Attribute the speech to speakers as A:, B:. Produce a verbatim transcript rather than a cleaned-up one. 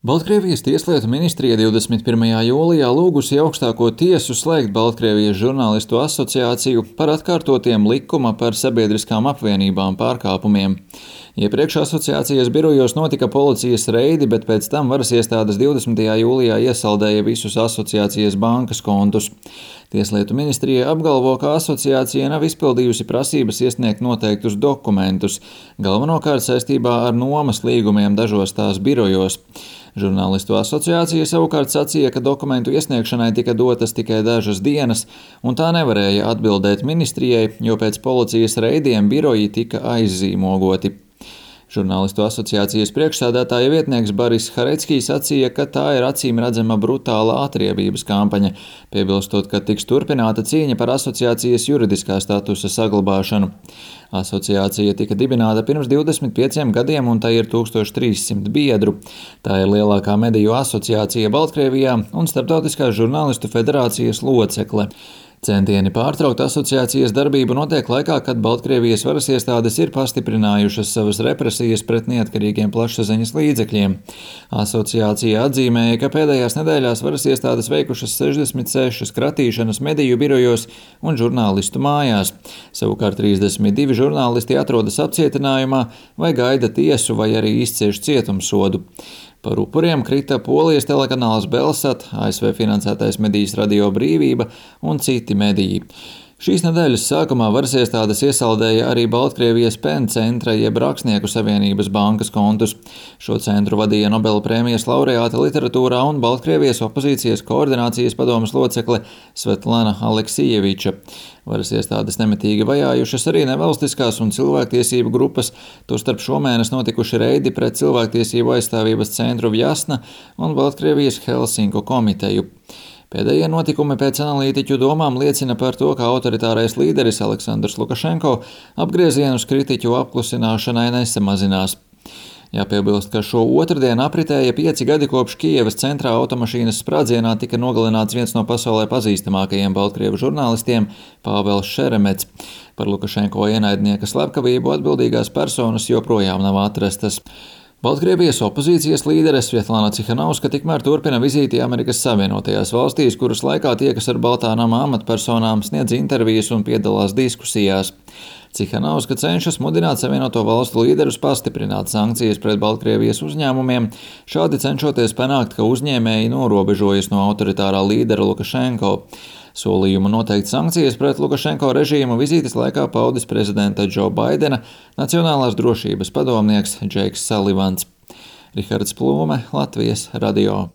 A: Baltkrievijas tieslietu ministrija divdesmit pirmajā jūlijā lūgusi augstāko tiesu slēgt Baltkrievijas žurnālistu asociāciju par atkārtotiem likuma par sabiedriskām apvienībām pārkāpumiem. Iepriekš asociācijas birojos notika policijas reidi, bet pēc tam varas iestādes divdesmitajā jūlijā iesaldēja visus asociācijas bankas kontus. Tieslietu ministrija apgalvo, ka asociācija nav izpildījusi prasības iesniegt noteiktus dokumentus, galvenokārt saistībā ar nomas līgumiem dažos tās birojos. Žurnālistu asociācija savukārt sacīja, ka dokumentu iesniegšanai tika dotas tikai dažas dienas, un tā nevarēja atbildēt ministrijai, jo pēc policijas reidiem biroji tika aizzīmogoti. Žurnālistu asociācijas priekšsēdētāja vietnieks Baris Hareckijs sacīja, ka tā ir acīm redzama brutāla atriebības kampaņa, piebilstot, ka tiks turpināta cīņa par asociācijas juridiskā statusa saglabāšanu. Asociācija tika dibināta pirms divdesmit pieciem gadiem, un tai ir tūkstoš trīssimt biedru. Tā ir lielākā mediju asociācija Baltkrievijā un Starptautiskās žurnālistu federācijas locekle. Centieni pārtraukt asociācijas darbību notiek laikā, kad Baltkrievijas varas iestādes ir pastiprinājušas savas represijas pret neatkarīgiem plašsaziņas līdzekļiem. Asociācija atzīmēja, ka pēdējās nedēļās varas iestādes veikušas sešdesmit sešas kratīšanas mediju birojos un žurnālistu mājās. Savukārt trīsdesmit divi žurnālisti atrodas apcietinājumā vai gaida tiesu vai arī izcieš cietumsodu. Par upuriem krita Polijas telekanāls Belsat, A S V finansētais medijs Radio Brīvība un citi mediji. Šīs nedēļas sākumā varas iestādes iesaldēja arī Baltkrievijas PEN centra jeb Rakstnieku savienības bankas kontus. Šo centru vadīja Nobela prēmijas laureāte literatūrā un Baltkrievijas opozīcijas koordinācijas padomes locekle Svetlana Aleksijeviča. Varas iestādes nemitīgi vajājušas arī nevalstiskās un cilvēktiesību grupas, tostarp šomēnes notikuši reidi pret cilvēktiesību aizstāvības centru Vjasna un Baltkrievijas Helsinku komiteju. Pēdējie notikumi pēc analītiķu domām liecina par to, ka autoritārais līderis Aleksandrs Lukašenko apgriezienus kritiķu apklusināšanai nesamazinās. Jāpiebilst, ka šo otrdienu apritēja pieci gadi kopš Kijevas centrā automašīnas sprādzienā tika nogalināts viens no pasaulē pazīstamākajiem baltkrievu žurnālistiem Pāvels Šeremets. Par Lukašenko ienaidnieka slepkavību atbildīgās personas joprojām nav atrastas. Baltkrievijas opozīcijas līdere Svetlana Cihanauska tikmēr turpina vizīti Amerikas Savienotajās valstīs, kuras laikā tiekas ar Baltā nama amatpersonām, sniedz intervijas un piedalās diskusijās. Cihanauska cenšas mudināt Savienoto valstu līderus pastiprināt sankcijas pret Baltkrievijas uzņēmumiem, šādi cenšoties panākt, ka uzņēmēji norobežojas no autoritārā līdera Lukašenko. Solījumu noteikt sankcijas pret Lukašenko režīmu vizītes laikā paudis prezidenta Džo Baidena Nacionālās drošības padomnieks Džeiks Salivans. Rihards Plūme, Latvijas radio.